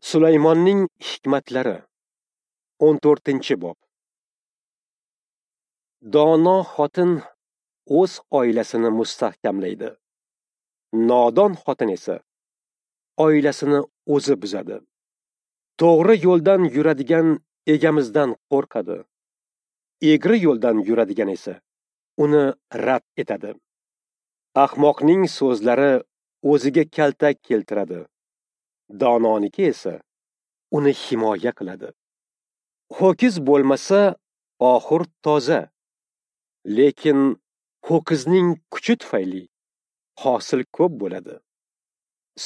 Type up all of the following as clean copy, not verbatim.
Sulaymonning hikmatlari 14-bob. Dono xotin o'z oilasini mustahkamlaydi. Nodon xotin esa oilasini o'zi buzadi. To'g'ri yo'ldan yuradigan egamizdan qo'rqadi. Egri yo'ldan yuradigan esa uni rad etadi. Ahmoqning so'zlari o'ziga kaltak keltiradi. Dononiki esa uni himoya qiladi. Ho'kiz bo'lmasa oxur toza, lekin ho'kizning kuchi tufayli hosil ko'p bo'ladi.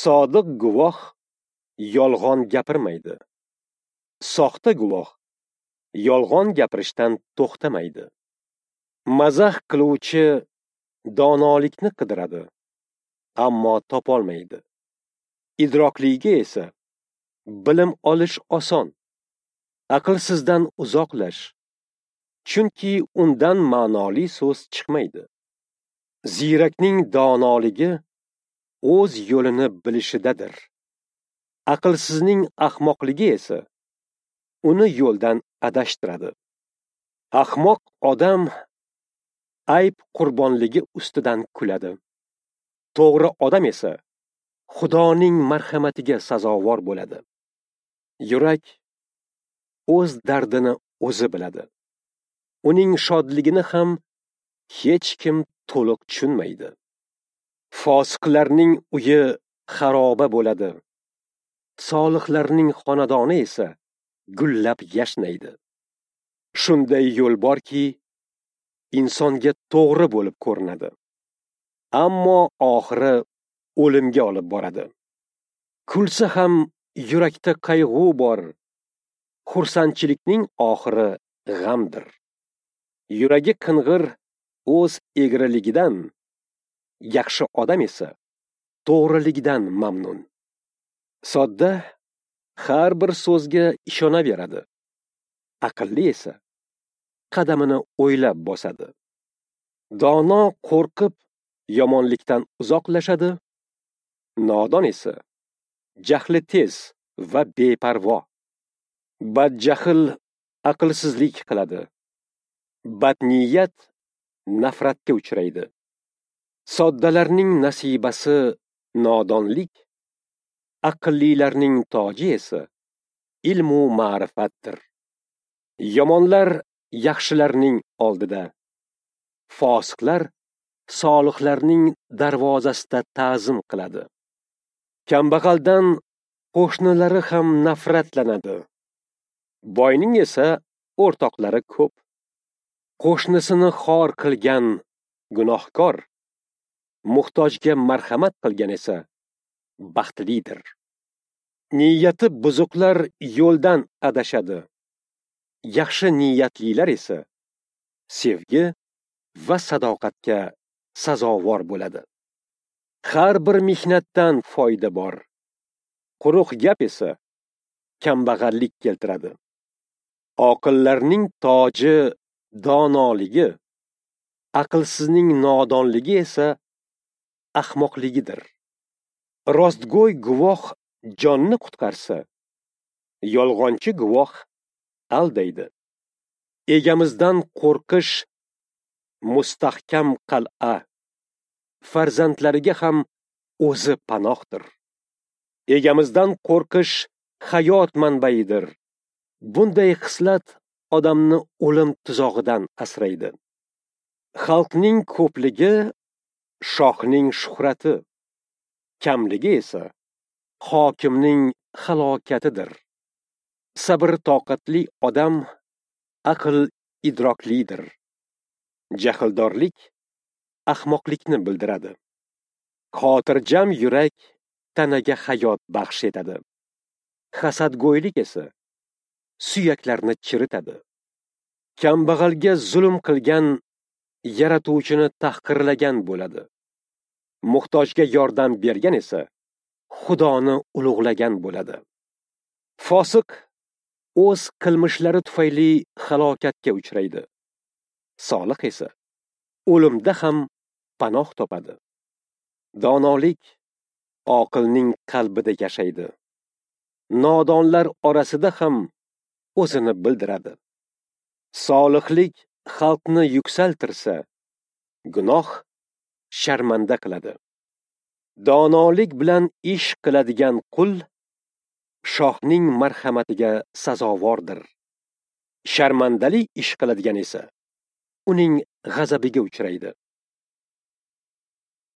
Sodiq guvoh yolg'on gapirmaydi. Soxta guvoh yolg'on gapirishdan to'xtamaydi. Mazax qiluvchi donolikni qidiradi, ammo topolmaydi. Idrokliga esa bilim olish oson. Aqlsizdan uzoqlash, chunki undan ma'noli so'z chiqmaydi. Ziyrakning donoligi o'z yo'lini bilishidadir. Aqlsizning ahmoqligi esa uni yo'ldan adashtiradi. Ahmoq odam ayb qurbonligi ustidan kuladi. To'g'ri odam esa Xudoning marhamatiga sazovor bo'ladi. Yurak o'z dardini o'zi biladi. Uning shodligini ham hech kim to'liq tushunmaydi. Fosiqlarning uyi xaroba bo'ladi. Solihlarning xonadoni esa gullab yashnaydi. Shunday yo'l borki, insonga to'g'ri bo'lib ko'rinadi, ammo oxiri o'limga olib boradi. Kulsa ham yurakda qayg'u bor. Xursandchilikning oxiri g'amdir. Yuragi qing'ir o'z egriligidan, yaxshi odam esa to'g'riligidan mamnun. Sodda har bir so'zga ishonaveradi. Aqlli esa qadamini o'ylab bosadi. Dono qo'rqib yomonlikdan uzoqlashadi. Nodon esa jahli tez va beparvo. Badjahl aqlsizlik qiladi. Badniyat nafratga uchraydi. Soddalarning nasibasi nodonlik, aqllilarning toji esa ilmu ma'rifatdir. Yomonlar yaxshilarning oldida, fosiqlar solihlarning darvozasida ta'zim qiladi. Kambag'aldan qo'shnilari ham nafratlanadi. Boyning esa o'rtoqlari ko'p. Qo'shnisini xor qilgan gunohkor, muhtojga marhamat qilgan esa baxtlidir. Niyati buzuqlar yo'ldan adashadi. Yaxshi niyatlilar esa sevgi va sadoqatga sazovor bo'ladi. Har bir mehnatdan foyda bor. Quruq gap esa kambag'allik keltiradi. Oqillarning toji donoligi, aqlsizning nodonligi esa ahmoqligidir. Rostgo'y guvoh jonni qutqarsa, yolg'onchi guvoh aldaydi. Egamizdan qo'rqish mustahkam qal'a, farzandlariga ham o'zi panohdir. Egamizdan qo'rqish hayot manbaidir. Bunday xislat odamni o'lim tuzog'idan asraydi. Xalqning ko'pligi shohning shuhrati, kamligi esa hokimning halokatidir. Sabr toqatli odam aql idroklidir. Jahldorlik ahmoqlikni bildiradi. Xotirjam yurak tanaga hayot baxsh etadi. Hasadgo'ylik esa suyaklarni chiritadi. Kambag'alga zulm qilgan yaratuvchini tahqirlagan bo'ladi. Muhtojga yordam bergan esa Xudoni ulug'lagan bo'ladi. Fosiq o'z qilmishlari tufayli halokatga uchraydi. Solih esa o'limda ham panoh topadi. Donolik oqilning qalbida yashaydi. nodonlar orasida ham o'zini bildiradi. Solihlik xalqni yuksaltirsa, gunoh sharmanda qiladi. Donolik bilan ish qiladigan qul shohning marhamatiga sazovordir. Sharmandali ish qiladigan esa uning g'azabiga uchraydi.